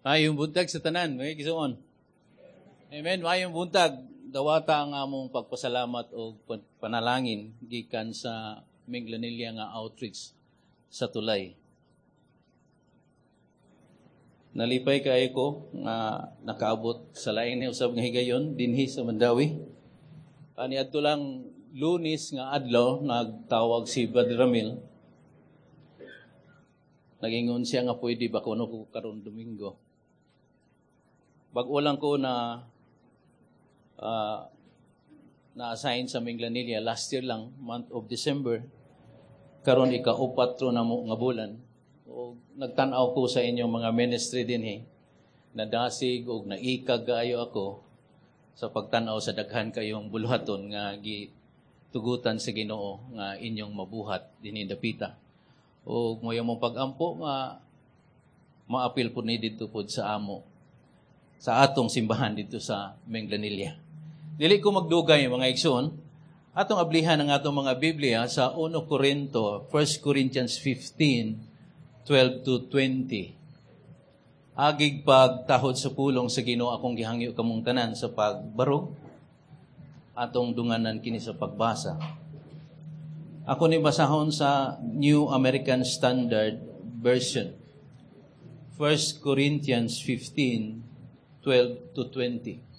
Maayong buntag sa tanan, mga igsoon. Amen. Maayong buntag. Dawata ang among pagpasalamat o panalangin gikan sa Minglanilla nga outreach sa Tulay. Nalipay kaayo ko nga nakaabot sa lain ni usab nga higayon dinhi sa Mandaue. Ani adto lang Lunes nga adlaw, nagtawag si Brother Ramil. Nagingon siya nga pwede ba kuno ko karon Domingo. Bag-o lang ko na na-assign sa Minglanilla last year lang, month of December. Karon ika-upat ro na mo nga bulan. O nagtan-aw ko sa inyong mga ministry dinhi. Nadasig og naikag kaayo ako sa pagtan-aw sa daghan kayong buluhaton nga gitugutan sa Ginoo nga inyong mabuhat dinhi dapita. O moyo mong pag-ampo nga maapil po ni didto pod sa amo sa atong simbahan dito sa Minglanilla. Dili ko magdugay, mga igsoon. Atong ablihan ang atong mga Biblia sa 1 Corinto, 1 Corinthians 15, 12 to 20. Agig pagtahod sa pulong sa Ginoo, akong gihangyo kamong tanan sa pagbarog. Atong dunganan kini sa pagbasa. Ako ni basahon sa New American Standard Version. 1 Corinthians 15, 12 to 20.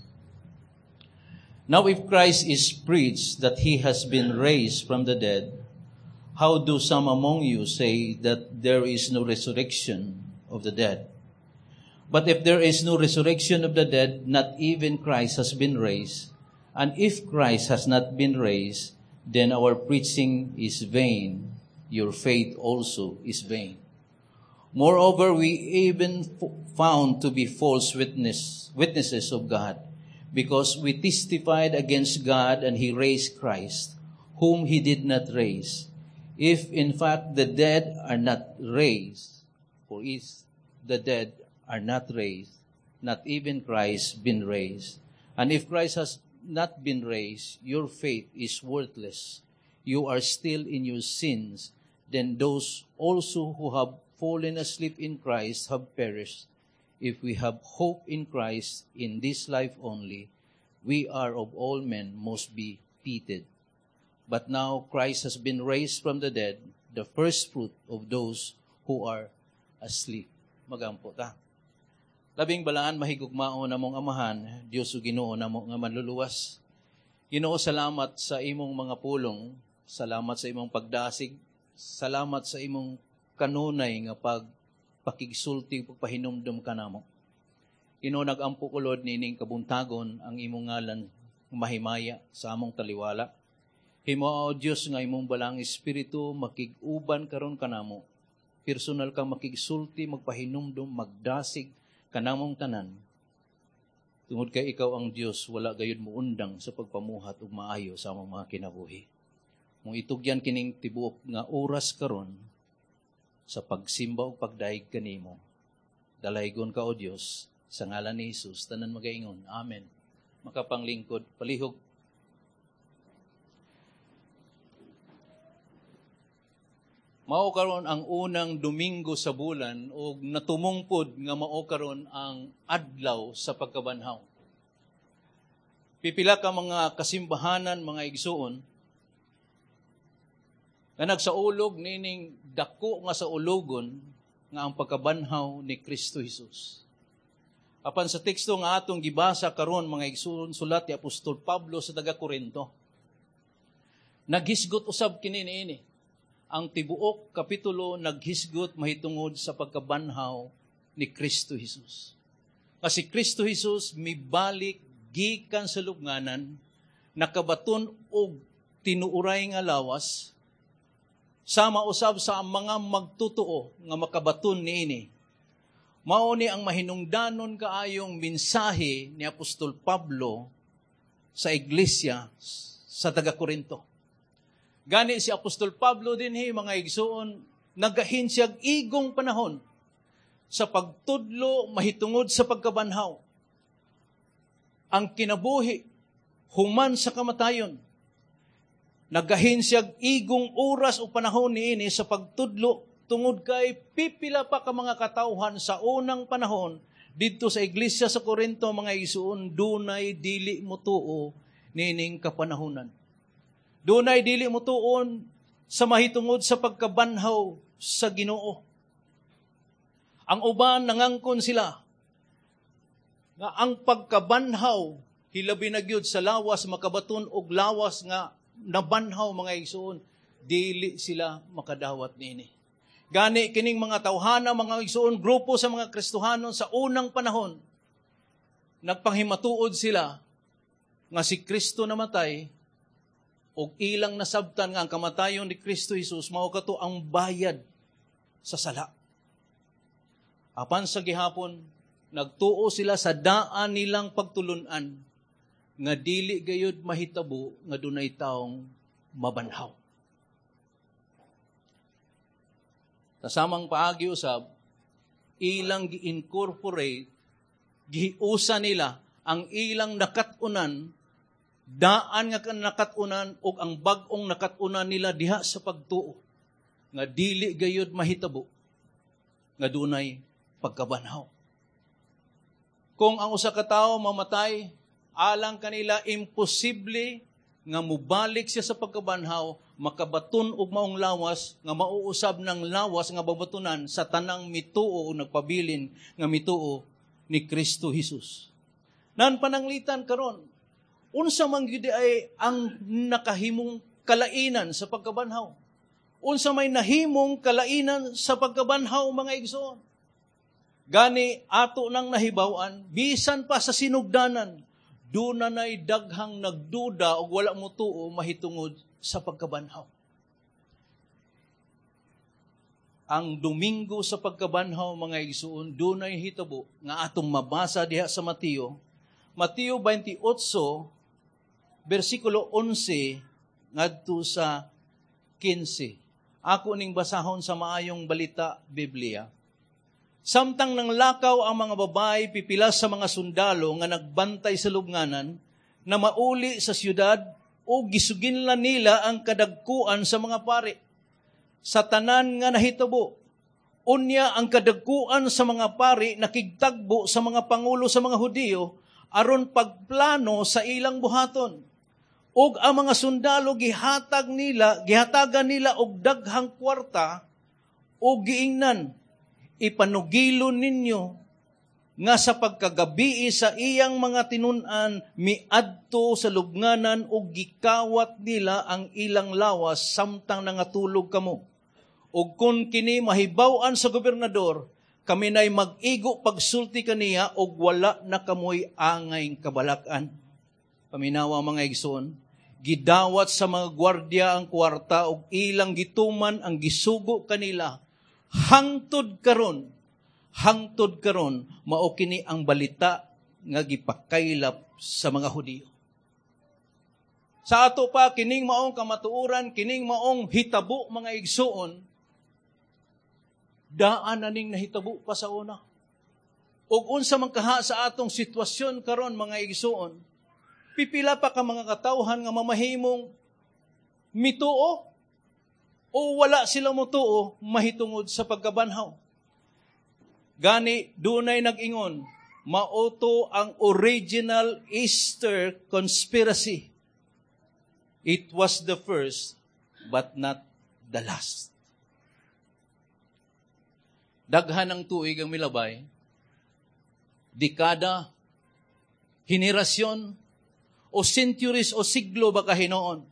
Now if Christ is preached that he has been raised from the dead, how do some among you say that there is no resurrection of the dead? But if there is no resurrection of the dead, not even Christ has been raised. And if Christ has not been raised, then our preaching is vain. Your faith also is vain. Moreover, we even found to be false witnesses of God, because we testified against God and he raised Christ, whom he did not raise. If in fact the dead are not raised, for if the dead are not raised, not even Christ been raised. And if Christ has not been raised, your faith is worthless. You are still in your sins. Then those also who have fallen asleep in Christ have perished. If we have hope in Christ in this life only, we are of all men most be pitied. But now Christ has been raised from the dead, the first fruit of those who are asleep. Magampo ta. Labing balaan, mahigugmao namong Amahan, Dios ug Ginoo namo nga manluluwas. Ginoo, salamat sa imong mga pulong, salamat sa imong pagdasig, salamat sa imong kanunay nga pagpakigsulti, pagpahinumdum kanamo. Ginoo, nagampo ko, Lord, nining kabuntagon ang imong ngalan mahimaya sa among taliwala. Himo, o Dios, nga imong balaang Espiritu makig-uban karon kanamo. Personal kang makigsulti, magpahinumdum, magdasig kanamong tanan. Tungod kay ikaw ang Dios, wala gayud muundang sa pagpamuhat og maayo sa among mga kinabuhi. Mong itugyan kining tibuok nga oras karon sa pagsimba ug pagdayeg kanimo. Dalaygon ka, o Dios, sa ngalan ni Jesus, tanan magaingon. Amen. Makapanglingkod, palihog. Mao karon ang unang Domingo sa bulan ug natumungpod nga mao karon ang adlaw sa pagkabanhaw. Pipila ka mga kasimbahanan, mga igsuon, nga nagsaulog nining dako nga sa ulogon nga ang pagkabanhaw ni Kristo Jesus. Apan sa teksto nga atong gibasa karon, mga igsuon, sulat ni Apostol Pablo sa taga Korinto, naghisgot usab kini niini. Ang tibuok kapitulo naghisgot mahitungod sa pagkabanhaw ni Kristo Jesus. Kasi Kristo Jesus mibalik gikan sa lubnganan, nakabaton og tinuuray nga lawas, sama usab sa mga magtotoo nga makabaton niini. Mao ni ang mahinungdanon kaayong mensahe ni Apostol Pablo sa iglesia sa taga Korinto. Gani si Apostol Pablo dinhi, mga igsuon, nagahin siyag igong panahon sa pagtudlo mahitungod sa pagkabanhaw. Ang kinabuhi human sa kamatayon. Nagahin siyag igong oras o panahon niini sa pagtudlo tungod kay pipila pa ka mga katawhan sa unang panahon Didto sa iglesia sa Korinto, mga igsuon, dunay dili motuo niining kapanahunan. Dunay dili motuon sa mahitungod sa pagkabanhaw sa Ginoo. Ang uban, nangangkon sila nga ang pagkabanhaw, hilabi na gyud sa lawas, makabaton og lawas nga nabanhaw, mga igsuon, dili sila makadawat niini. Gani kining mga tawhana, mga igsuon, grupo sa mga Kristohanon sa unang panahon, nagpanghimatuod sila nga si Kristo namatay og ilang nasabtan nga ang kamatayon ni Kristo Jesus mao kato ang bayad sa sala. Apan sa gihapon, nagtuo sila sa daan nilang pagtulunan nga dili gayud mahitabo nga dunay taong mabanhaw. Sa samang paagi usab, ilang gi-incorporate, giusa nila ang ilang nakat-unan, daan nga nakat-unan ug ang bag-ong nakat-unan nila diha sa pagtuo nga dili gayud mahitabo nga dunay pagkabanhaw. Kung ang usa ka tawo mamatay, alang kanila imposible nga mubalik siya sa pagkabanhaw, makabaton og maong lawas nga mauusab ng lawas nga babatonan sa tanang mituo o nagpabilin nga mituo ni Kristo Jesus. Nan pananglitan karon, unsa man gyud ay ang nakahimong kalainan sa pagkabanhaw? Unsa may nahimong kalainan sa pagkabanhaw, mga igsoon? Gani ato nang nahibaw-an, bisan pa sa sinugdanan, doon na na'y daghang nagduda o wala motuo mahitungod sa pagkabanhaw. Ang Domingo sa pagkabanhaw, mga igsoon, doon ay hitabo nga atong mabasa diha sa Mateo. Mateo 28, versikulo 11, ngadto sa 15. Ako ning basahon sa Maayong Balita Biblia. Samtang nanglakaw ang mga babae, pipila sa mga sundalo nga nagbantay sa lubnganan na mauli sa siyudad o gisuginlan nila ang kadagkuan sa mga pari sa tanan nga nahitabo. Unya ang kadagkuan sa mga pari nakigtagbo sa mga pangulo sa mga Hudiyo aron pagplano sa ilang buhaton. Ug ang mga sundalo gihatagan nila og daghang kwarta og giingnan, "Ipanugilo ninyo nga sa pagkagabii sa iyang mga tinun-an miadto sa lubnganan ug gikawat nila ang ilang lawas samtang nangatulog kamo. Ug kun kini mahibaw-an sa gobernador, kami na'y mag-igo pagsulti kaniya ug wala na kamoy angay kabalak-an." Paminawa, mga igsoon, gidawat sa mga gwardiya ang kwarta ug ilang gituman ang gisugo kanila. Hangtod karon, mao kini ang balita nga gipakaylap sa mga Hudiyo. Sa ato pa, kining maong kamatuoran, kining maong hitabo, mga igsoon, daan na ning nahitabo pa sa una. Ug unsa man kaha sa atong sitwasyon karon, mga igsoon, pipila pa ka mga katawhan nga mamahimong mituo o wala sila motuo mahitungod sa pagkabanhaw. Gani dunay nag-ingon, mao to ang original Easter conspiracy. It was the first, but not the last. Daghan ng tuig ang milabay, dekada, henerasyon, o centuries o siglo ba kahinoon.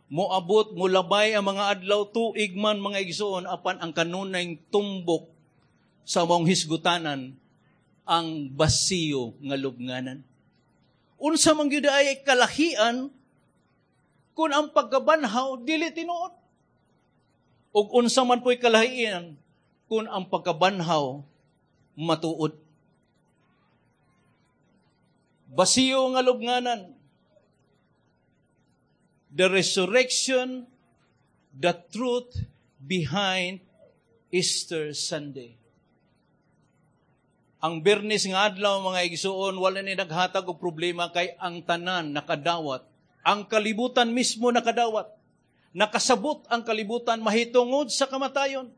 Moabot, mulabay ang mga adlaw, tuig man, mga igsoon, apan ang kanunay tumbok sa maong hisgutanan, ang basiyo nga lubnganan. Unsa man gyud ay kalahian kung ang pagkabanhaw dili tinuod? Ug unsa man po'y kalahian kung ang pagkabanhaw matuod? Basiyo nga lubnganan. The resurrection, the truth behind Easter Sunday. Ang Biyernes nga adlaw, mga igsuon, wala ni naghatag og problema kay ang tanan nakadawat. Ang kalibutan mismo nakadawat. Nakasabot ang kalibutan mahitungod sa kamatayon.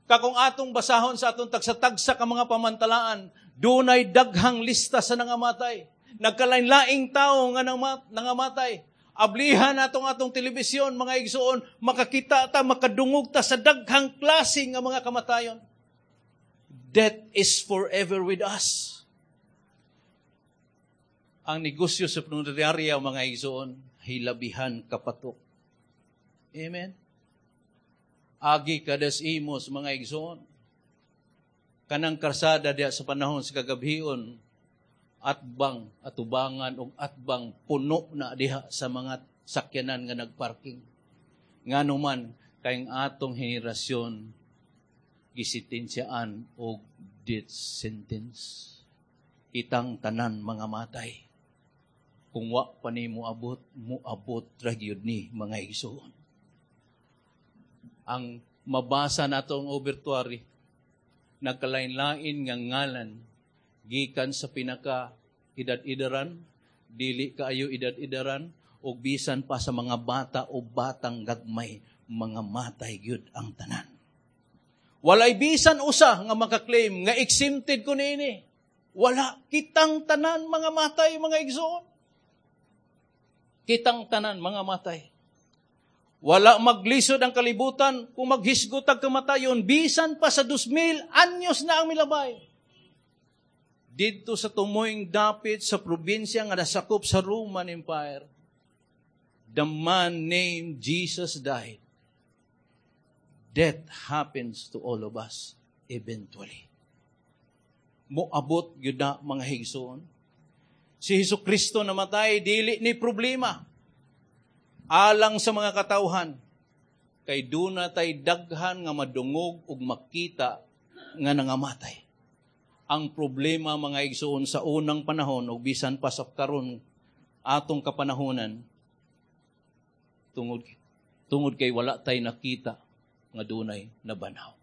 Kakung atong basahon sa atong tagsa-tagsa ka mga pamantalaan, Dunay daghang lista sa nangamatay. Nagkalain-laing tao nga nangamatay. Ablihan natong atong telebisyon, mga igsoon, makakita ta, makadungog ta sa daghang klase nga mga kamatayon. Death is forever with us. Ang negosyo sa punerarya, mga igsoon, hilabihan kapatok. Amen? Agi kada Imus, mga igsoon. Kanang karsada diya sa panahon sa kagabhion, atbang, atubangan og atbang, puno na diha sa mga sakyanan nga nagparking. Ngano man, kay ang atong henerasyon gisitensyaan og death sentence. Kitang tanan mga matay. Kung wa pa ni moabot, moabot ra gyud ni, mga igsoon. Ang mabasa nato ang obituary, nagkalain-lain nga ngalan gikan sa pinaka edad-edaran, dili kaayo edad-edaran, o bisan pa sa mga bata o batang gagmay, mga matay gyud ang tanan. Walay bisan usa nga makaklaim nga exempted ko niini. Wala, kitang tanan mga matay, mga igsoon. Kitang tanan mga matay. Wala maglisod ang kalibutan kung maghisgot ang kamatayon, bisan pa sa 2,000 anyos na ang milabay. Didto sa tumoyng dapit sa probinsya nga nasakop sa Roman Empire, the man named Jesus died. Death happens to all of us eventually. Moabot gyud na, mga higsoon. Si Hesus Kristo namatay, dili ni problema alang sa mga katawhan, kay duna tay daghan nga madungog ug makita nga nangamatay. Ang problema, mga igsoon, sa unang panahon ug bisan pa sa karon atong kapanahonan, tungod kay wala tay nakita nga dunay nabanhaw.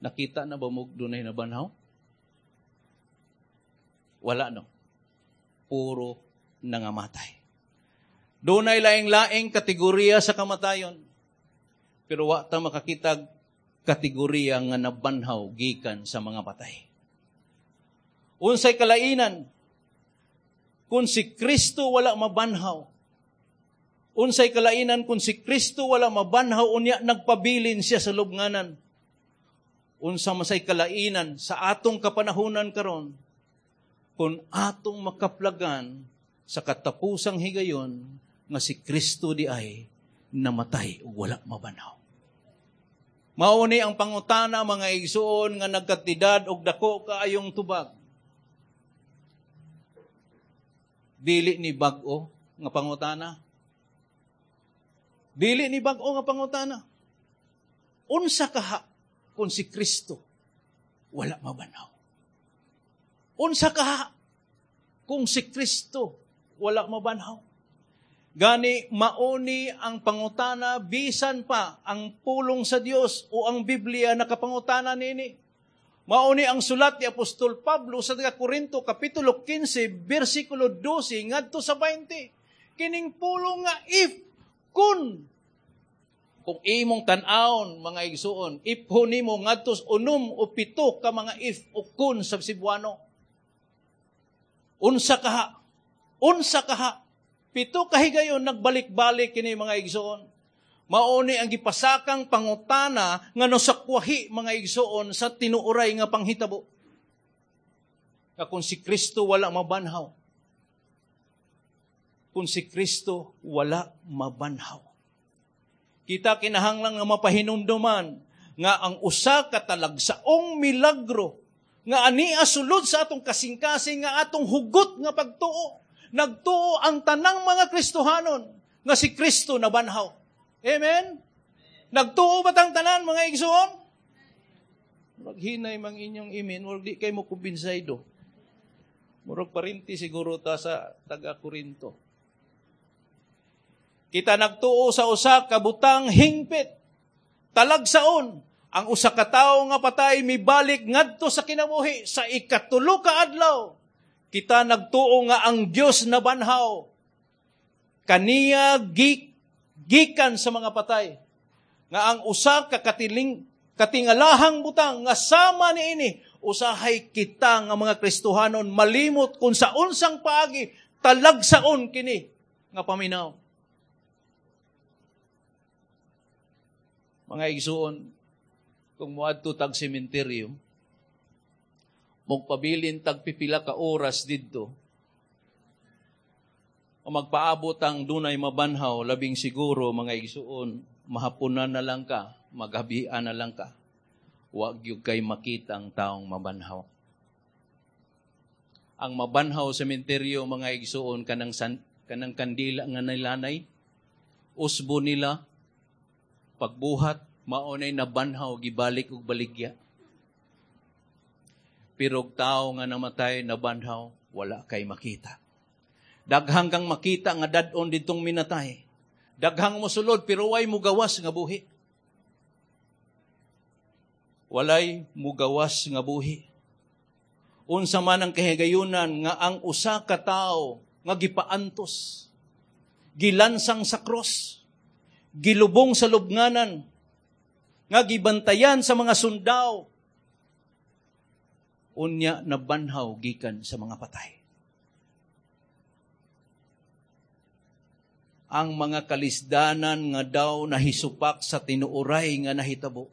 Nakita na ba mo dunay nabanhaw? Wala, no. Puro nangamatay. Dunay laing-laing kategorya sa kamatayon. Pero wa ta makakita kategorya nga nabanhaw gikan sa mga patay. Unsay kalainan kung si Kristo wala mabanhaw? Unsay kalainan kung si Kristo wala mabanhaw unya nagpabilin siya sa lubnganan? Unsa masay kalainan sa atong kapanahunan karon kung atong makaplagan sa katapusang higayon nga si Kristo di ay namatay ug wala mabanhaw? Mao ni ang pangutana, mga igsoon, nga nagkatidad og dako kaayong tubag. Dili ni bag-o nga pangutana. Dili ni bag-o nga pangutana. Unsa kaha kung si Kristo wala mabanhaw? Unsa kaha kung si Kristo wala mabanhaw? Gani mauni ang pangutana bisan pa ang pulong sa Dios o ang Biblia nakapangutana nini. Mauni ang sulat ni Apostol Pablo sa taga Korinto kapitulo 15 bersikulo 12 ngadto sa 20. Kining pulong nga if kung imong tan-awon, mga igsuon, if nimo ngadto 6 o 7 ka mga if o kun sa Cebuano. Unsa kaha? Unsa kaha? 7 kahigayon nagbalik-balik kini, mga igsoon. Mauni ang gipasakang pangutana nga nosakwahi, mga igsoon, sa tinuoray nga panghitabo. Nga kung si Kristo wala mabanhaw. Kung si Kristo wala mabanhaw. Kita kinahanglan nga mapahinumduman nga ang usa ka talagsaong milagro nga ania sulod sa atong kasing-kasing nga atong hugot nga pagtuo. Nagtuo ang tanang mga Kristohanon nga si Kristo nabanhaw. Amen? Nagtuo ba tang tanan, mga igsoon? Murag hinay mang inyong amen, murag di kay mo kumbinsaydo. Murag parinti siguro ta sa taga Korinto. Kita nagtuo sa usa ka butang hingpit. Talagsaon ang usa ka tawo nga patay mibalik ngadto sa kinabuhi sa 3 ka adlaw. Kita nagtuo nga ang Dios nabanhaw kaniya gikan sa mga patay. Nga ang usa ka katingalahang butang nga sama niini Usahay kita nga mga Kristohanon malimot kung sa unsang paagi talagsaon kini nga paminaw. Mga igsuon, kung moadto tag sementeryo, magpabilin tag pipila ka oras didto, o magpaabot ang dunay mabanhaw, labing siguro mga igsuon, mahapunan na lang ka, maghabian na lang ka. Wag gyud kay makita ang taong mabanhaw. Ang mabanhaw sa sementeryo, mga igsuon, kanang kandila nga nilanay, usbo nila, pagbuhat, maunay nabanhaw, gibalik og baligya. Pero og tao nga namatay, nabanhaw, wala kay makita. Daghang kang makita nga dad-on ditong minatay. Daghang mosulod, pero way mugawas nga buhi. Walay mugawas nga buhi. Unsa man ang kahigayunan nga ang usa ka tawo nga gipaantos, gilansang sa cross, gilubong sa lubnganan, nga gibantayan sa mga sundao, unya nabanhaw gikan sa mga patay. Ang mga kalisdanan nga daw nahisupak sa tinuoray nga nahitabo.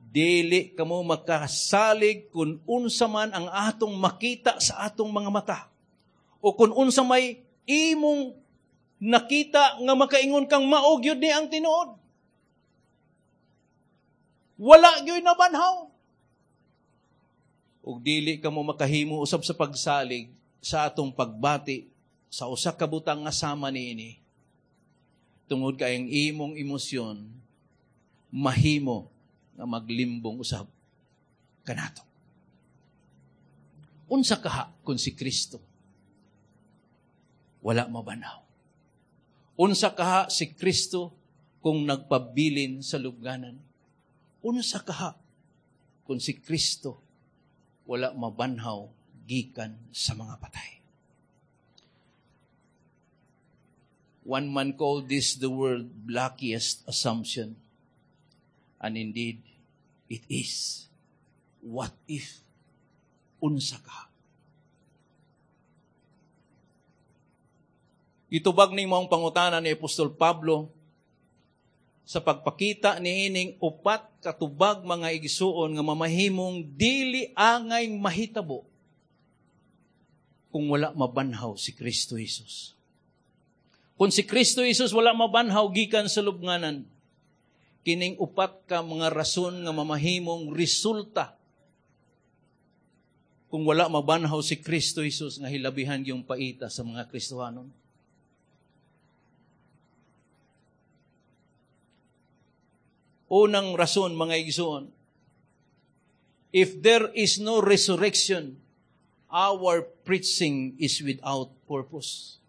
Dili kamo makasalig kung unsa man ang atong makita sa atong mga mata. O kung unsa may imong nakita nga makaingon kang mao gyud ni ang tinuod. Wala gyud nabanhaw. Ug dili kamo makahimo usab sa pagsalig sa atong pagbati sa usa ka butang nga sama niini. Tungod kay ang imong emosyon mahimo nga maglimbong usab kanato. Unsa kaha kung si Kristo wala mabanhaw? Unsa kaha si Kristo kung nagpabilin sa lubnganan? Unsa kaha kung si Kristo wala mabanhaw gikan sa mga patay? One man called this the world's blackest assumption. And indeed, it is. What if? Unsa ka? Itubag ni maong pangutana ni Apostol Pablo sa pagpakita niining upat katubag mga igsuon nga mamahimong dili angay mahitabo kung wala mabanhaw si Kristo Jesus. Kung si Kristo Jesus wala mabanhaw gikan sa lubnganan, kining upat ka mga rason nga mamahimong resulta kung wala mabanhaw si Kristo Jesus nga hilabihan yung paita sa mga Kristohanon. Unang rason, mga igsoon, if there is no resurrection, our preaching is without purpose.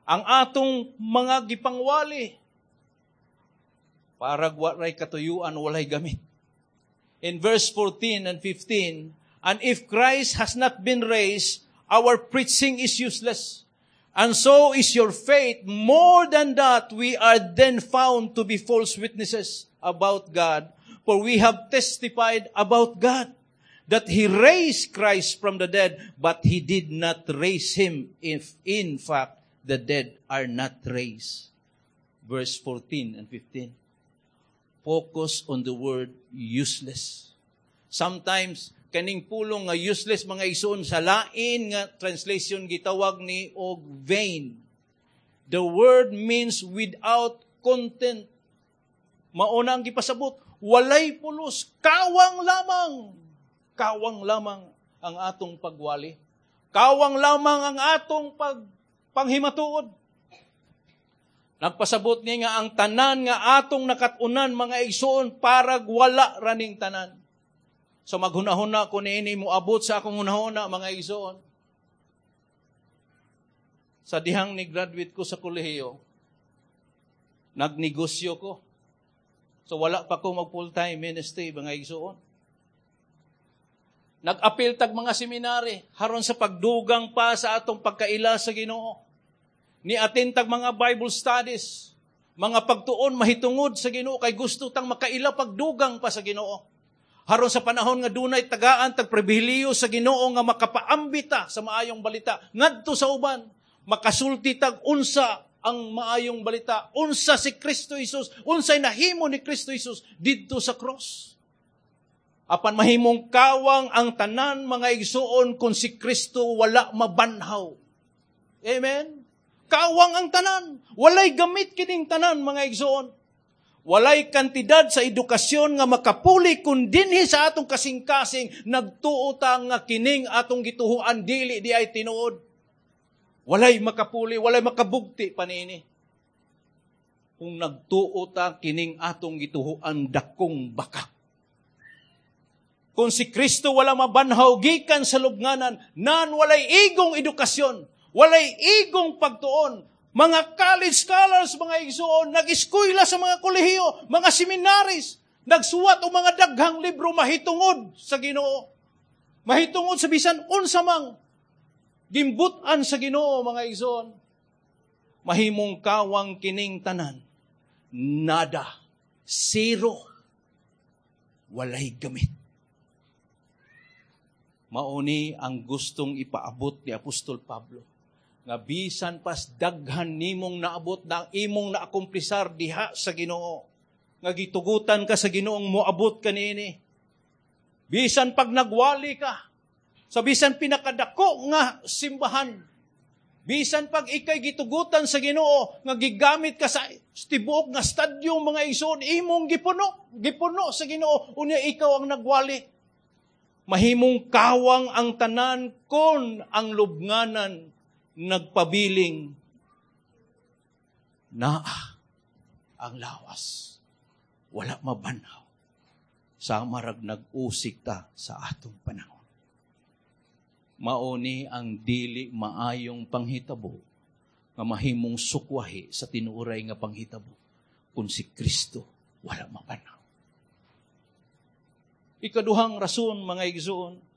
Ang atong mga gipangwali, parag walay katuyuan, walay gamit. In verse 14 and 15, and if Christ has not been raised, our preaching is useless. And so is your faith. More than that, we are then found to be false witnesses about God, for we have testified about God that He raised Christ from the dead, but He did not raise Him if in fact the dead are not raised. Verse 14 and 15. Focus on the word useless. Sometimes, kaning pulong nga useless mga igsoon sa lain nga translation gitawag ni og vain. The word means without content. Mauna ang gipasabot, walay pulos, kawang lamang. Kawang lamang ang atong pagwali. Kawang lamang ang atong panghimatuod. Nagpasabot niya nga ang tanan nga atong nakatunan mga igsoon parag wala raning tanan. So maghunahuna ko niini moabot sa akong hunahuna mga igsoon. Sa dihang ni graduate ko sa kolehiyo, nagnegosyo ko. So wala pa ko mag full-time ministry mga igsoon. Nag-apil tag mga seminary haron sa pagdugang pa sa atong pagkaila sa Ginoo. Ni-attend tag mga Bible studies, mga pagtuon mahitungod sa Ginoo kay gusto tang makaila pagdugang pa sa Ginoo. Haron sa panahon nga dunay tagaan tag pribilehiyo sa Ginoo nga makapaambita sa maayong balita ngadto sa uban, makasulti tag unsa ang maayong balita, unsa si Kristo Jesus, unsay nahimo ni Kristo Jesus didto sa cross. Apan mahimong kawang ang tanan, mga igsuon, kung si Kristo wala mabanhaw. Amen? Kawang ang tanan. Walay gamit kining tanan, mga igsuon. Walay kantidad sa edukasyon nga makapuli kung dinhi sa atong kasing-kasing nagtuo ta nga kining atong gituhuan dili di ay tinuod. Walay makapuli, walay makabugti pa niini. Kung nagtuo ta kining atong gituhuan, dakong baka. Kung si Kristo wala mabanhaw gikan sa lubnganan, nan walay igong edukasyon, walay igong pagtuon. Mga college scholars, mga igsuon, nag-eskwela sa mga kolehiyo, mga seminaries, nagsuwat og mga daghang libro mahitungod sa Ginoo. Mahitungod sa bisan unsa mang gimbutan sa Ginoo, mga igsuon. Mahimong kawang kining tanan. Nada. Zero. Walay gamit. Mauni ang gustong ipaabot ni Apostol Pablo. Nga bisan pas daghan nimong naabot na imong naakumplisar diha sa Ginoo, nga gitugutan ka sa Ginoong moabot kaniini. Bisan pag nagwali ka sa bisan pinakadako nga simbahan, bisan pag ikay gitugutan sa Ginoo nga gigamit ka sa tibuok nga stadium, mga igsoon, imong gipuno sa Ginoo, unya ikaw ang nagwali. Mahimong kawang ang tanan kon ang lubnganan nagpabiling naa ang lawas, wala mabanhaw, sa marag nag-usik ta sa atong panahon. Mauni ang dili maayong panghitabo nga mahimong sukwahi sa tinuoray nga panghitabo kung si Kristo wala mabanhaw. Ikaduhang rason, mga igsoon,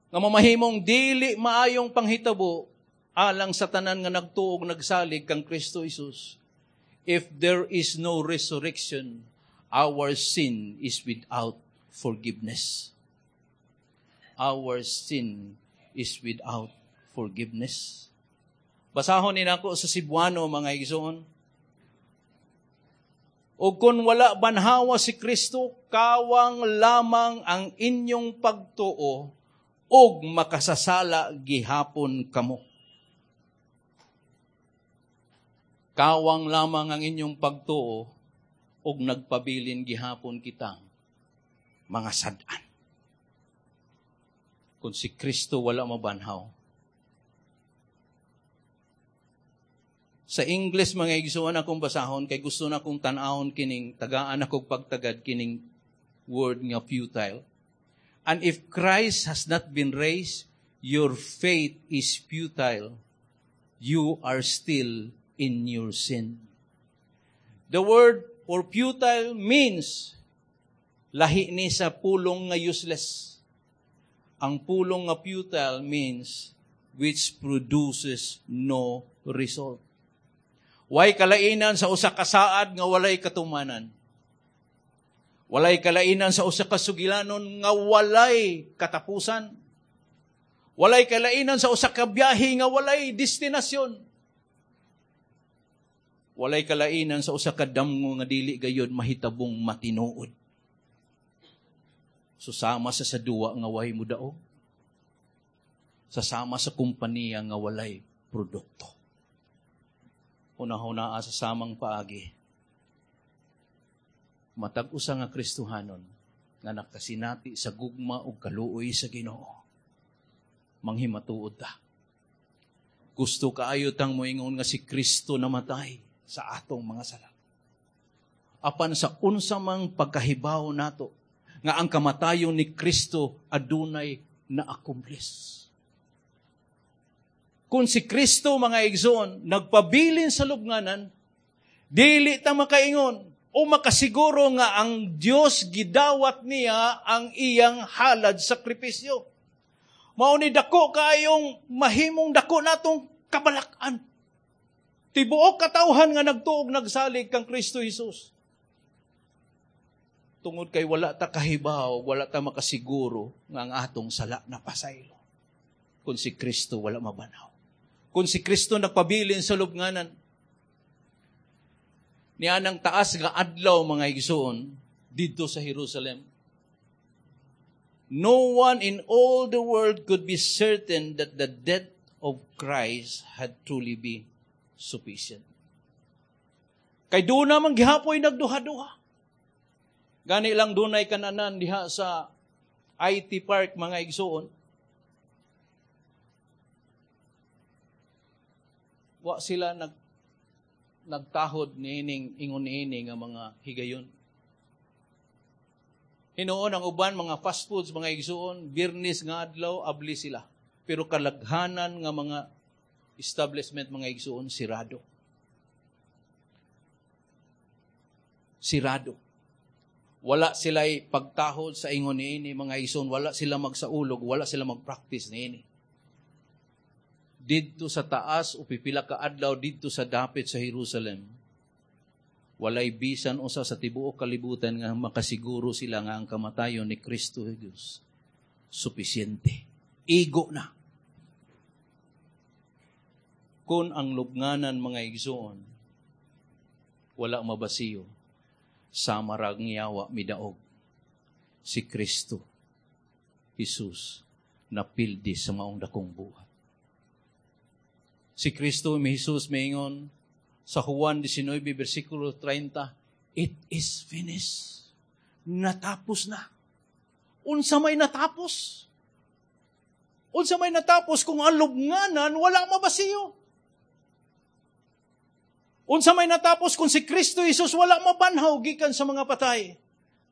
nga mamahimong dili maayong panghitabo alang sa tanan nga nagtuog nagsalig kang Kristo Jesus. If there is no resurrection, our sin is without forgiveness. Our sin is without forgiveness. Basahon ni nako sa Cebuano, mga igsoon. O kung wala banhawa si Kristo, kawang lamang ang inyong pagtuo og makasasala gihapon kamo. Kawang lamang ang inyong pagtuo og nagpabilin gihapon kitang mga sad-an. Kung si Kristo wala mabanhaw. Sa English, mga igsuon, akong basahon kay gusto na akong tan-awon kining tagaan akong pagtagad kining word nga futile. And if Christ has not been raised, your faith is futile. You are still in your sin. The word for futile means lahi ni sa pulong nga useless. Ang pulong nga futile means which produces no result. Way kalainan sa usa ka saad nga walay katumanan. Walay kalainan sa usa ka sugilanon nga walay katapusan. Walay kalainan sa usa ka biyahe nga walay destinasyon. Walay kalainan sa usa ka damgo nga dili gayod mahitabong matinuod. Susama sa duwa nga way mo daog. Sasama sa kompanya nga walay produkto. Una-una sa samang paagi. Matag usa nga Kristohanon nga nakasinati sa gugma ug kaluoy sa Ginoo, manghimatuod ta. Gusto kaayo tang moingon nga si Kristo namatay sa atong mga sala. Apan sa unsa mang pagkahibaw nato nga ang kamatayon ni Kristo adunay na-accomplish. Kung si Kristo, mga igsoon, nagpabilin sa lubnganan, dili ta makaingon o makasiguro nga ang Dios gidawat niya ang iyang halad sakripisyo. Mao ni dako kaayong mahimong dako natong kabalak-an. Tibuok katawhan nga nagtuog nagsalig kang Kristo Jesus. Tungod kay wala ta kahibaw, wala ta makasiguro nga ang atong sala napasaylo kung si Kristo wala mabanhaw, kung si Kristo nagpabilin sa lubnganan. Nianang taas nga adlaw, mga igsoon, didto sa Jerusalem. No one in all the world could be certain that the death of Christ had truly been sufficient. Kay doon naman gihapoy nagduha-duha. Gani lang dunay kananan diha sa IT Park, mga igsoon. Wa sila nagtahod niining ingon niini nga mga higayon. Hinuon ang uban mga fast foods, mga igsuon, Biyernes nga adlaw abli sila. Pero kalaghanan nga mga establishment, mga igsuon, sirado. Sirado. Wala sila'y pagtahod sa ingon niini, mga igsuon, wala sila magsaulog, wala sila magpractice niini. Didto sa taas o pipila ka adlaw didto sa dapit sa Jerusalem, walay bisan usa sa tibuok kalibutan nga makasiguro sila nga ang kamatayon ni Kristo Jesus supisyente. Igo na. Kung ang lubnganan, mga igsoon, wala mabasiyo, sama ra ang yawa midaog, si Kristo Jesus napildi sa maong dakong buhat. Si Kristo mi Jesus maingon sa Juan 19 versikulo 30, "It is finished." Natapos na. Unsa may natapos? Unsa may natapos kung ang lubnganan wala mabasiyo? Unsa may natapos kung si Kristo Jesus wala mabanhaw gikan sa mga patay?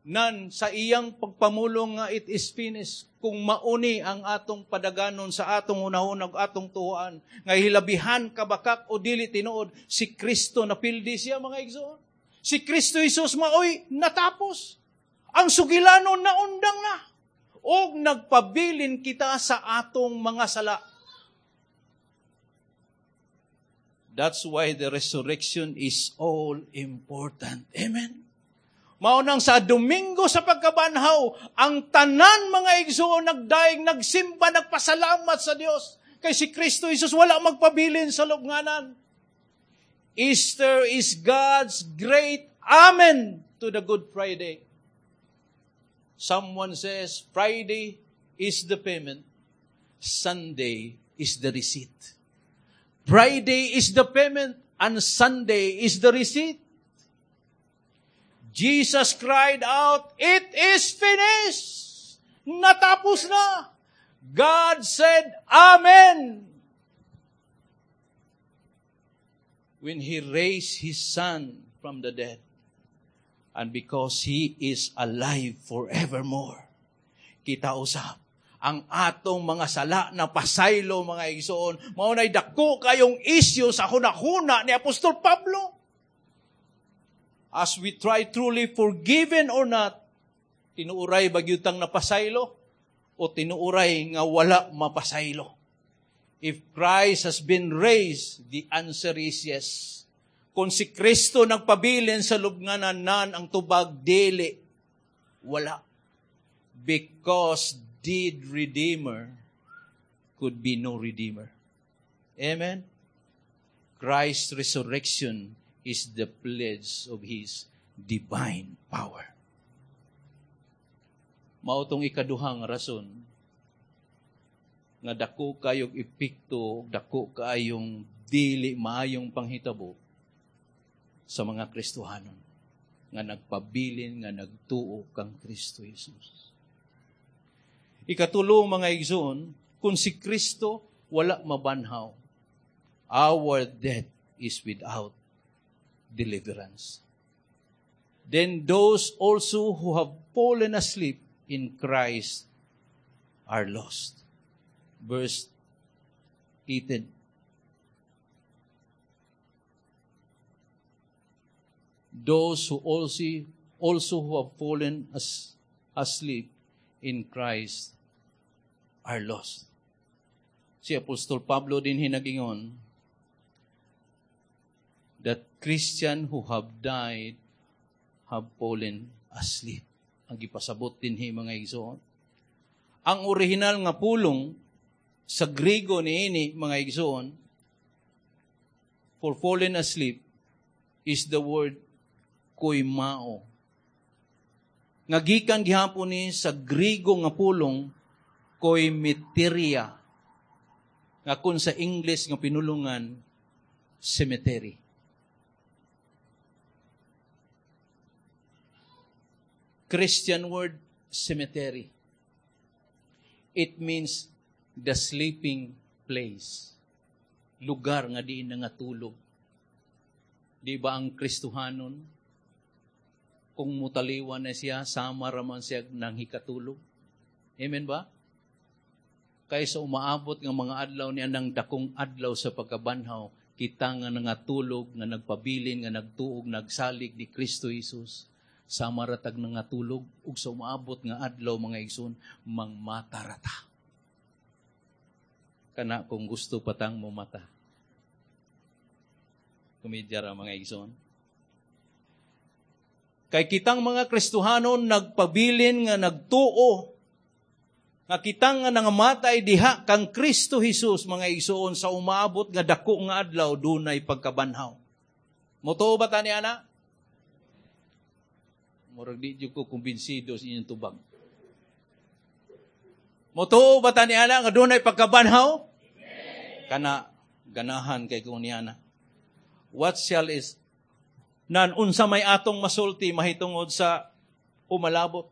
Nan sa iyang pagpamulong nga "It is finished," kung mauni ang atong padaganon sa atong hunahuna ug atong tuoan nga hilabihan kabakak o dili tinuod, si Kristo napildi siya, mga igsoon. Si Kristo Jesus maoy natapos. Ang sugilanon naundang na. Og nagpabilin kita sa atong mga sala. That's why the resurrection is all important. Amen? Maunang sa Domingo sa pagkabanhaw, ang tanan, mga igsoon, nagdaig, nagsimba, nagpasalamat sa Dios. Kay si Kristo Jesus wala magpabilin sa lubnganan. Easter is God's great amen to the Good Friday. Someone says, "Friday is the payment, Sunday is the receipt." Friday is the payment and Sunday is the receipt. Jesus cried out, "It is finished!" Natapos na! God said, "Amen!" When He raised His Son from the dead, and because He is alive forevermore, kita usab, ang atong mga sala na pasaylo, mga igsoon. Mao nay dako kayong isyu sa hunahuna ni Apostol Pablo. As we try truly forgiven or not, tinuuray ba gyud tang napasaylo o tinuuray nga wala mapasaylo? If Christ has been raised, the answer is yes. Kung si Kristo nagpabilin sa lubnganan, nan ang tubag dili, wala. Because dead Redeemer could be no Redeemer. Amen? Christ's resurrection is the pledge of His divine power. Mao tong ikaduhang rason nga dako kayog epekto, dako kayong dili maayong panghitabo sa mga Kristohanon nga nagpabilin, nga nagtuo kang Kristo Jesus. Ikatulo, mga igsoon, kung si Kristo wala mabanhaw, our death is without deliverance. Then those also who have fallen asleep in Christ are lost. Verse 18. Those who also who have fallen asleep in Christ are lost. Si Apostol Pablo din hinagingon that Christian who have died have fallen asleep. ang gipasabot dinhi, mga igsoon. Ang orihinal nga pulong sa Grego niini, mga igsoon, for fallen asleep is the word koimao. Nga gikan gihapon ni sa Grego nga pulong koimeteria. Nga kun sa English nga pinulungan, cemetery. Christian word, cemetery. It means the sleeping place. Lugar nga diin nangatulog. Di ba ang Kristohanon, kung mutaliwan na siya, sama raman siya nang hikatulog? Amen ba? Kaysa umaabot nga mga adlaw niya ng dakong adlaw sa pagkabanhaw, kita nga nangatulog, nga nagpabilin, nga nagtuog, nagsalig ni Kristo Jesus, sama ratag nangatulog, ug sa umaabot nga adlaw, mga igsoon, mangmata rata. Kana kung gusto patang mo mata. Komedya ra, mga igsoon. Kay kitang mga Kristohanon nagpabilin nga nagtuo, nga kitang nga nangamatay diha kang Kristo Jesus, mga igsoon, sa umaabot nga dako nga adlaw, dunay pagkabanhaw. Motuo ba ta ni ana? Murag di jud ko kumbinsido sa inyong tubag. Motuo ba ta ni ana nga dunay pagkabanhaw? Kana ganahan kay ko ni ana. What shall is nan unsa may atong masulti mahitungod sa umalabot?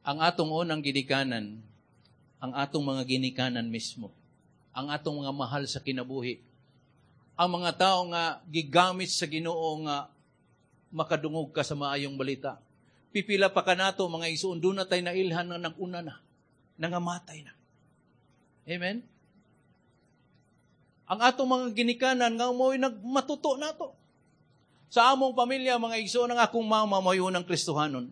Ang atong unang ginikanan, ang atong mga ginikanan mismo, ang atong mga mahal sa kinabuhi, ang mga tao nga gigamit sa Ginoo nga makadungog ka sa maayong balita. Pipila pa kanato, mga igsoon, doon na tayo nailhan na nag-una na, nangamatay na. Amen? Ang atong mga ginikanan nga mo'y nagmatuto nato. Sa among pamilya, mga igsoon, ang akong mama mo'y unang Kristohanon.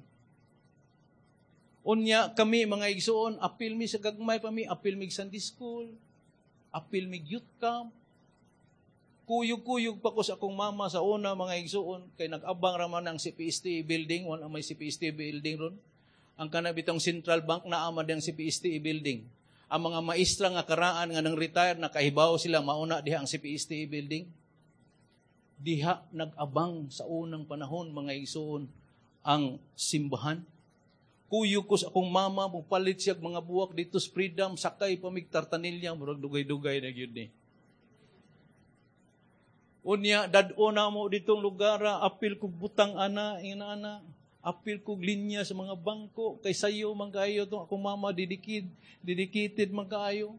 Unya kami, mga igsoon, apil mi sa gagmay pa mi, apil mi Sunday school, apil mi youth camp. Kuyog-kuyog pa ko sa akong mama sa una, mga igsoon, kay nag-abang raman ang CPST building, wala may CPST building ron. Ang kanabitong Central Bank na ama diyang CPST building. Ang mga maestra nga karaan nga nang retire, nakahibaw sila, mauna diha ang CPST building. Diha nag-abang sa unang panahon, mga igsoon, ang simbahan. Kuyog ko sa akong mama, mupalit siya mga buwak dito sa Freedom, sakay pamig Tartanilla, murag dugay-dugay na gyud ni. Unya, dad-o na mo ditong lugar, apil kog butang ana, ina ana, apil kog linya sa mga bangko, kay sayo man kaayo tong akong mama, dedicated man kaayo.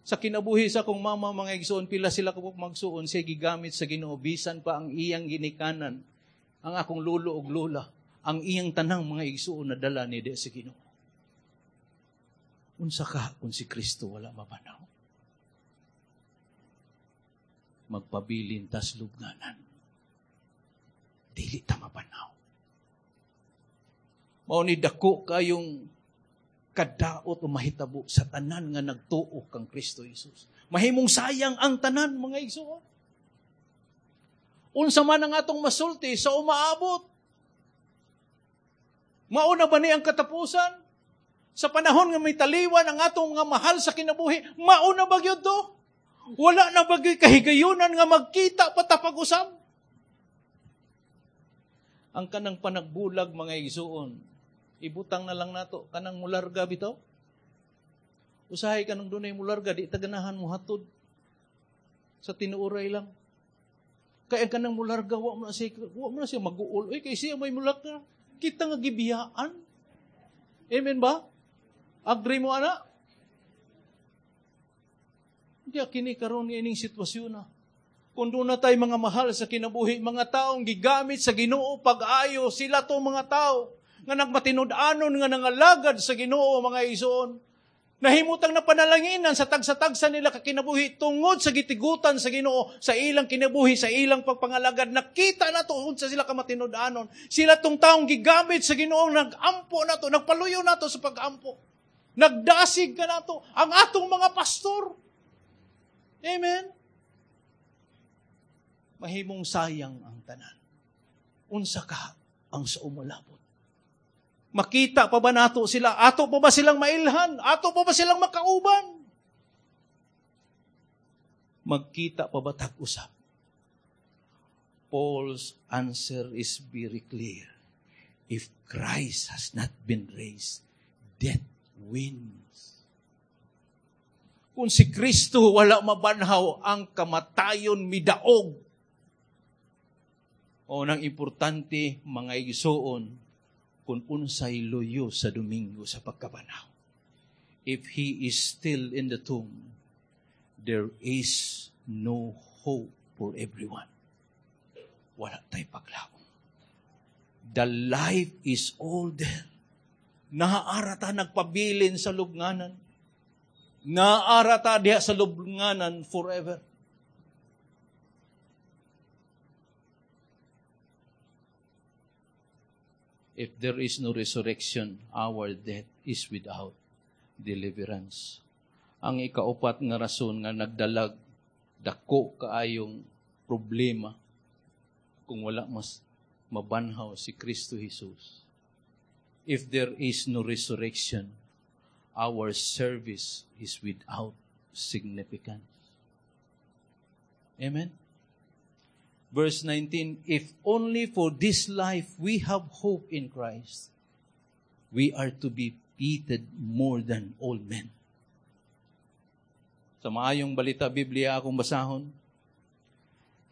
Sa kinabuhi sa akong mama, mga igsoon, pila sila kabuk magsuon, siya gigamit sa Ginoo, bisan pa ang iyang ginikanan, ang akong lolo og lola, ang iyang tanang mga igsoon na dala ni di sa Ginoo. Unsa ka kung si Kristo wala mabanaw? Magpabilin tas lubnganan. Dili ta mabanaw. Mao ni dako kayong kadaot o mahitabo sa tanan nga nagtuo kang Kristo Jesus. Mahimong sayang ang tanan, mga igsoon. Unsa man ang atong masulti sa umaabot? Mauna ba ni ang katapusan? Sa panahon nga may taliwan ang atong mga mahal sa kinabuhi, mauna ba gyud to? Wala na ba gyud kahigayunan nga magkita patapag-usab? Ang kanang panagbulag, mga igsoon, ibutang na lang nato kanang mularga bitaw. Usahay kanang dunay mularga, di ta ganahan mo hatod sa tinuoray lang. Kaya ang kanang mularga, wa mo na siya mag-uol. Uy, kay siya may mularga. Kita nga gibiyaan. Amen ba? Agree mo, ana? Hindi, kini karon ining sitwasyon na. Kung doon na tayo mga mahal sa kinabuhi, mga taong gigamit sa Ginoo pag-ayo, sila to mga tao nga nagmatinud-anon nga nangalagad sa Ginoo, mga igsoon. Nahimutang na panalanginan sa tagsa-tagsa nila kakinabuhi tungod sa gitigutan sa Ginoo sa ilang kinabuhi, sa ilang pagpangalagad. Nakita na to unsa sila kamatinud-anon. Sila tong taong gigamit sa Ginoo, nag-ampo na to, nagpaluyo na to sa pag-ampo. Nagdasig ka na to ang atong mga pastor. Amen? Mahimong sayang ang tanan. Unsa ka ang sa umalabot? Makita pa ba nato sila? Ato pa ba silang mailhan? Ato pa ba silang makauban? Magkita pa ba tag-usap? Paul's answer is very clear. If Christ has not been raised, death wins. Kung si Kristo wala mabanhaw, ang kamatayon midaog. O nang importante, mga igsoon, kung unsay luyo sa Domingo sa pagkabanhaw. If He is still in the tomb, there is no hope for everyone. Wala tay paglaom. The life is all there. Naa ra ta nagpabilin sa lubnganan. Naa ra ta diha sa lubnganan forever. If there is no resurrection, our death is without deliverance. Ang ikaupat nga rason nga nagdalag dako kaayong problema kung wala mas mabanhaw si Kristo Jesus. If there is no resurrection, our service is without significance. Amen? Verse 19, if only for this life we have hope in Christ, we are to be pitied more than all men. Sa maayong balita Biblia akong basahon,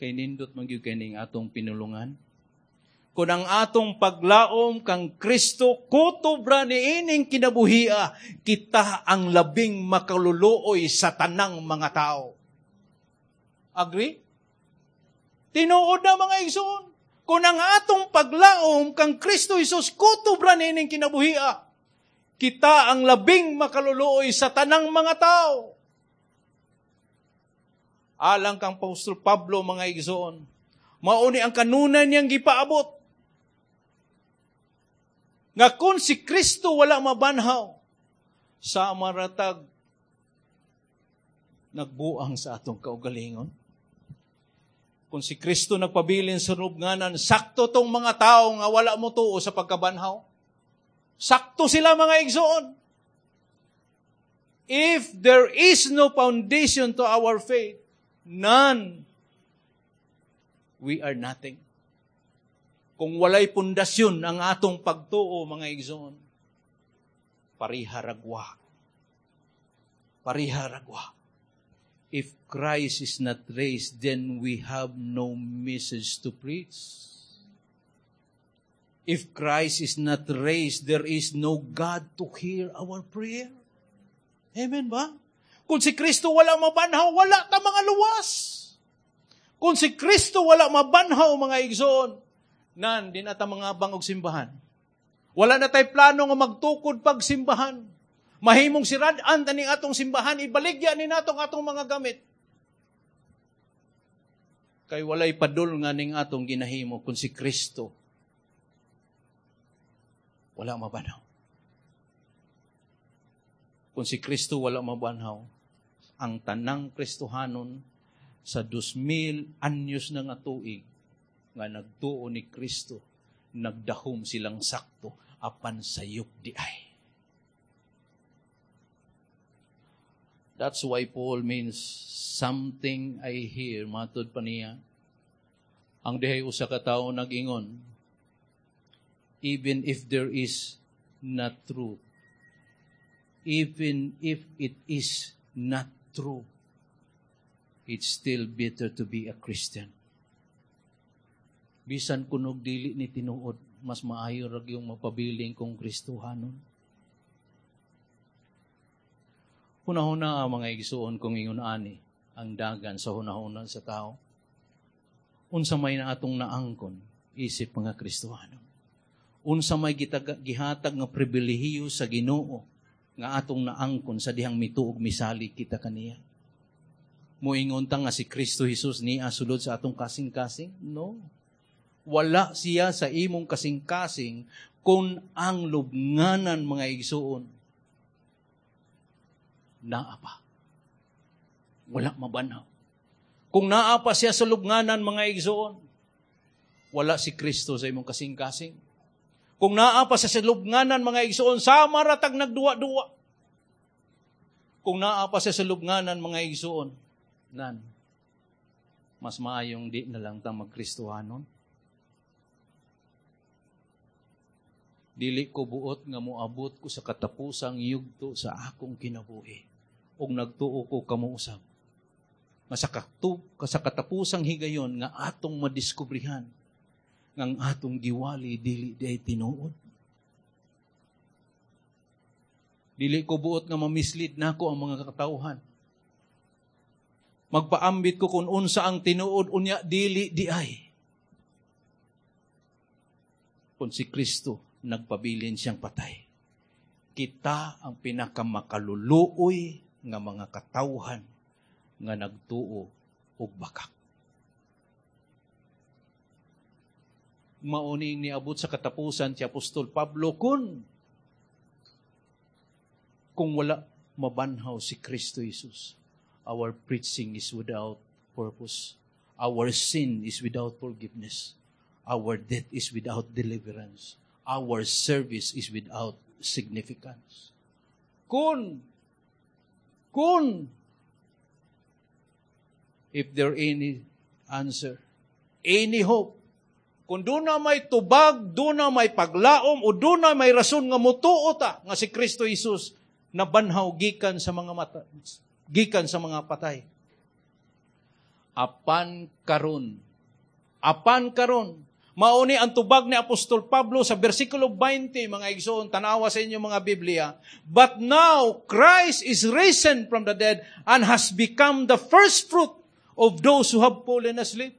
kay nindot man gyud kay ning atong pinulungan. Kung ang atong paglaom kang Kristo kutob ra niining kinabuhia, kita ang labing makaluluoy sa tanang mga tao. Agree? Tinuod na, mga igsoon. Kung ang atong paglaom kang Kristo Jesus kutob ra niining kinabuhia, kita ang labing makaluluoy sa tanang mga tao. Alang kang Apostol Pablo, mga igsoon, mauni ang kanunan niyang gipaabot. Nga kung si Kristo wala mabanhaw, sa maratag nagbuang sa atong kaugalingon. Kung si Kristo nagpabilin sa lubnganan, sakto tong mga tao nga wala mo tuo sa pagkabanhaw. Sakto sila, mga igsoon. If there is no foundation to our faith, none, we are nothing. Kung walay pundasyon ang atong pagtuo, mga igsoon, pariharagwa. Pariharagwa. If Christ is not raised, then we have no message to preach. If Christ is not raised, there is no God to hear our prayer. Amen ba? Kung si Kristo wala mabanhaw, wala ta mga luwas. Kung si Kristo wala mabanhaw, mga igsoon, nan, di na ta mga bangog simbahan. Wala na tay plano nga magtukod pagsimbahan. Mahimong sirad-an taning atong simbahan, ibaligya ni natong atong mga gamit. Kay walay padul nga ning atong ginahimo kung si Kristo wala mabanhaw. Kung si Kristo wala mabanhaw, ang tanang Kristohanon sa 2,000 anyos na nga tuig nga nagtuo ni Kristo, nagdahom silang sakto apan sayop di ay. That's why Paul means something I hear, matud pa niya. Ang dihay usa ka tawo nag-ingon, even if there is not truth, even if it is not true, it's still better to be a Christian. Bisan kunog dili ni tinuod, mas maayo ra gyud mapabiling kung Kristohanon. Hunahuna ang mga igsuon kung ingon ani ang dagan sa hunahuna sa tao. Unsa may na atong naangkon isip mga Kristohano. Unsa may gihatag nga pribilehiyo sa Ginoo nga atong naangkon sa dihang mituog misali kita kaniya. Moingon ta nga si Kristo Jesus niya sulod sa atong kasing-kasing? No. Wala siya sa imong kasing-kasing kung ang lubnganan, mga igsuon, naa pa. Wala mabanhaw. Kung naa pa siya sa lubnganan, mga igsoon, Wala si Kristo sa imong kasing-kasing. Kung naa pa sa salubnganan, mga igsoon, sama ra tag nagduwa-duwa. Kung naa pa sa salubnganan, mga igsoon, nan, mas maayong di na lang ta magkristohanon. Dili ko buot nga moabot ko sa katapusang yugto sa akong kinabuhi. Og nagtuo ko kamo usab nga sa katapusang higayon nga atong madiskubrihan nga ang atong giwali dili diay tinuod. Dili ko buot nga mamislead nako ang mga katawhan. Magpaambit ko kung unsa ang tinuod, unya dili di ay. Kung si Kristo nagpabilin siyang patay, kita ang pinakamakaluluoy nga mga katawhan nga nagtuo og bakak. Mauning niabot sa katapusan si Apostol Pablo kung wala mabanhaw si Kristo Jesus, our preaching is without purpose. Our sin is without forgiveness. Our death is without deliverance. Our service is without significance. Kung, if there any answer, any hope, kung doon na may tubag, doon na may paglaom, o doon na may rason nga mutuo ta nga si Kristo Jesus nabanhaw gikan sa mga patay. Apan karon, mauni ang tubag ni Apostol Pablo sa versikulo 20, mga igsoon, tanawa sa inyong mga Biblia. "But now, Christ is risen from the dead and has become the first fruit of those who have fallen asleep."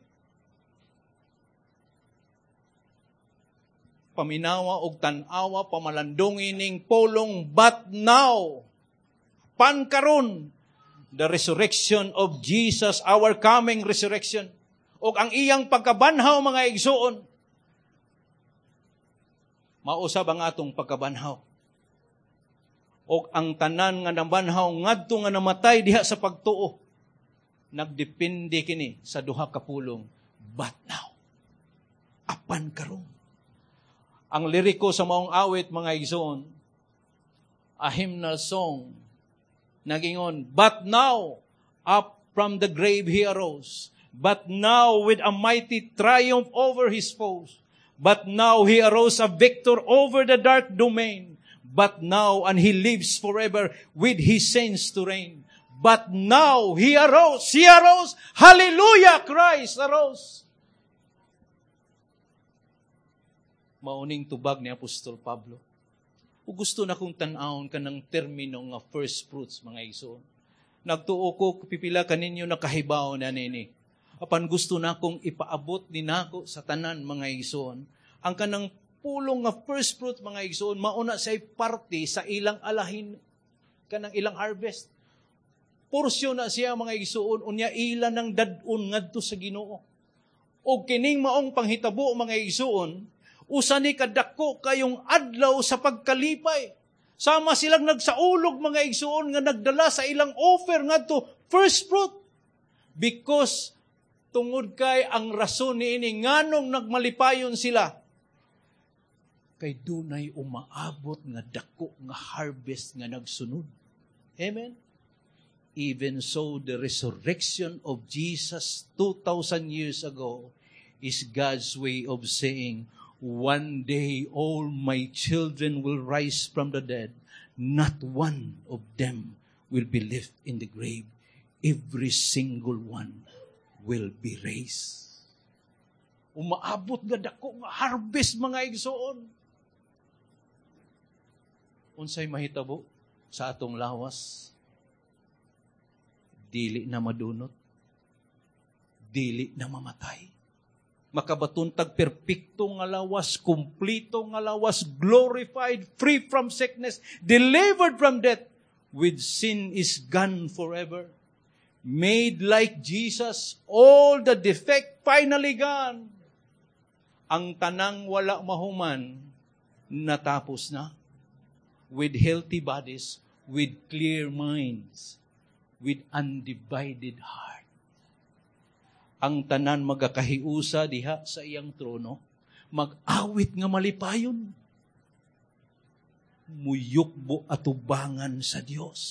Paminawa og tan-awa, pamalandungin ning polong, "but now," pankaron, the resurrection of Jesus, our coming resurrection, og ang iyang pagkabanhaw, mga igsoon, mausab ang atong pagkabanhaw. Og ang tanan nga nabanhaw ngadto nga namatay diha sa pagtuo, nagdepende kini sa duha ka pulong, "but now," apan karon. Ang liriko sa maong awit, mga igsoon, a hymnal song, nagingon, "But now, up from the grave he arose, but now with a mighty triumph over his foes, but now he arose a victor over the dark domain, but now and he lives forever with his saints to reign. But now he arose, hallelujah, Christ arose." Mauning tubag ni Apostol Pablo. O gusto na kong tan-awon ka ng termino nga first fruits, mga igsoon. Nagtuo ko, pipila kaninyo nakahibaw na nini. Apan gusto na kong ipaabot ni nako sa tanan, mga igsoon. Ang kanang pulong nga first fruit, mga igsoon, mauna say parte sa ilang alahin, kanang ilang harvest. Porsyon na siya, mga igsoon, unya ila ng dad-on ngadto sa Ginoo. O kining maong panghitabo, mga igsoon, usa ni kadako kayong adlaw sa pagkalipay. Sama silang nagsaulog, mga igsoon, nga nagdala sa ilang offer ngadto first fruit. Because tungod kay ang rason niini nganong nagmalipayon sila, kay dunay umaabot nga dako nga harvest nga nagsunod. Amen. Even so, the resurrection of Jesus 2,000 years ago is God's way of saying, "One day all my children will rise from the dead. Not one of them will be left in the grave. Every single one will be raised." Umaabot nga dako nga harvest, mga igsoon. Unsay mahitabo sa atong lawas? Dili na madunot. Dili na mamatay. Makabaton tag perpekto nga lawas, kumplito nga lawas, glorified, free from sickness, delivered from death, with sin is gone forever. Made like Jesus, all the defect finally gone. Ang tanang wala mahuman, natapos na. With healthy bodies, with clear minds, with undivided heart. Ang tanan magakahiusa diha sa iyang trono, mag-awit nga malipayon, muyukbo atubangan sa Dios.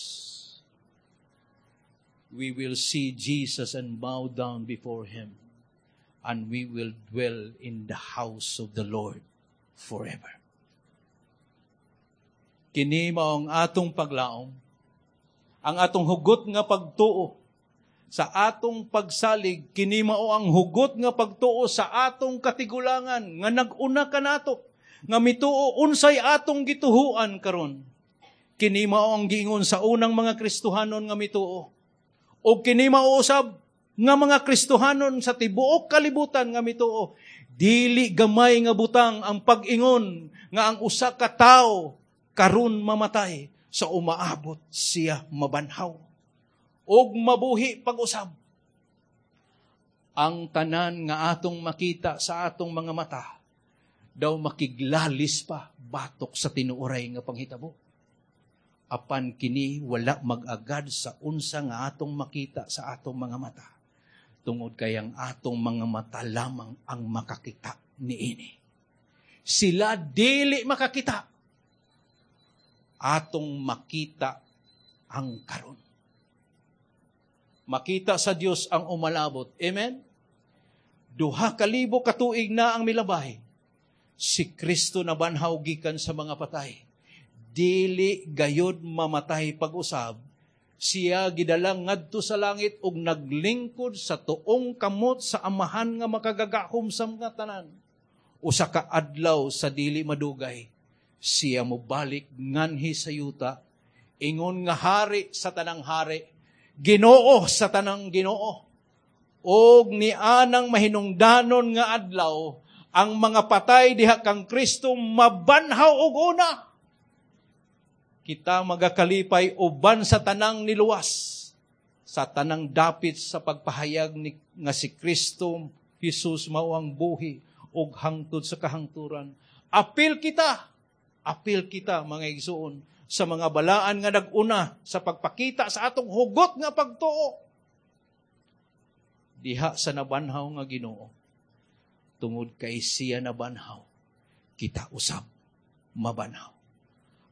We will see Jesus and bow down before Him, and we will dwell in the house of the Lord forever. Kini mao ang atong paglaom, ang atong hugot nga pagtuo sa atong pagsalig. Kini mao ang hugot nga pagtuo sa atong katigulangan nga nag-una kanato nga mituo unsay atong gituhuan karon. Kini mao ang giingon sa unang mga Kristohanon nga mituo. O kini mao usab nga mga Kristohanon sa tibuok kalibutan nga mituo. Dili gamay nga butang ang pag-ingon nga ang usa ka tawo karon mamatay, sa umaabot siya mabanhaw og mabuhi pag-usab. Ang tanan nga atong makita sa atong mga mata daw makiglalis pa batok sa tinuoray nga panghitabo. Apan kini wala mag-agad sa unsa nga atong makita sa atong mga mata, tungod kay ang atong mga mata lamang ang makakita niini. Sila dili makakita. Atong makita ang karon. Makita sa Dios ang umalabot. Amen? 2000 katuig na ang milabay. Si Kristo nabanhaw gikan sa mga patay. Dili gayod mamatay pag-usab. Siya gidala ngadto sa langit ug naglingkod sa tuong kamot sa Amahan nga makagagahom sa mga tanan. Usa ka adlaw sa dili madugay, siya mobalik nganhi sa yuta, ingon nga hari sa tanang hari, Ginoo sa tanang Ginoo. Og nianang mahinungdanon nga adlaw, ang mga patay diha kang Kristo mabanhaw og una. Kita magakalipay uban sa tanang niluwas, sa tanang dapit sa pagpahayag ni, nga si Kristo Jesus mao ang buhi ug hangtod sa kahangturan. Apil kita, mga igsuon, sa mga balaan nga nag-una sa pagpakita sa atong hugot nga pagtuo diha sa nabanhaw nga Ginoo. Tungod kay siya nabanhaw, kita usab mabanhaw.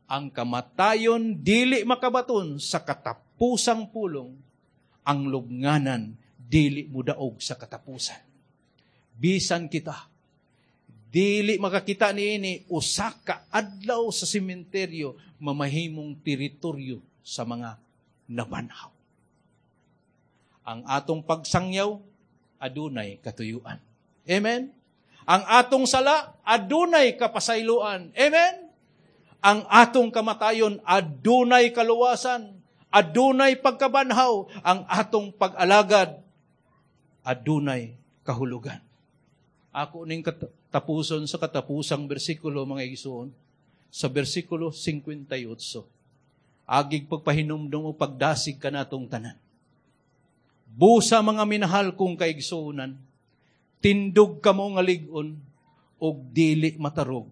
Ang kamatayon dili makabaton sa katapusang pulong, ang lubnganan dili mudaog sa katapusan. Bisan kita dili makakita niini, usa ka adlaw sa sementeryo mamahimong teritoryo sa mga nabanhaw. Ang atong pagsangyaw adunay katuyuan. Amen. Ang atong sala adunay kapasayloan. Amen. Ang atong kamatayon adunay kaluwasan, adunay pagkabanhaw. Ang atong pag-alagad adunay kahulugan. Ako ning katapuson sa katapusang bersikulo, mga igsuon, sa bersikulo 58. Agig pagpahinumdum o pagdasig kanatong tanan. Busa, mga minahal kong kaigsuonan, tindog kamo nga lig-on og dili matarog.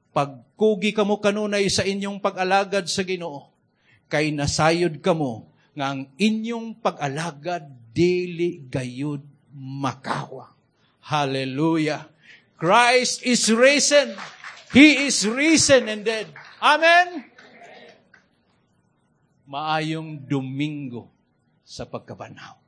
Pagkugi kamo kanunay sa inyong pag-alagad sa Ginoo, kay nasayod kamo nga ang inyong pag-alagad dili gayud makawa. Hallelujah! Christ is risen. He is risen indeed. Amen? Maayong Domingo sa Pagkabanhaw.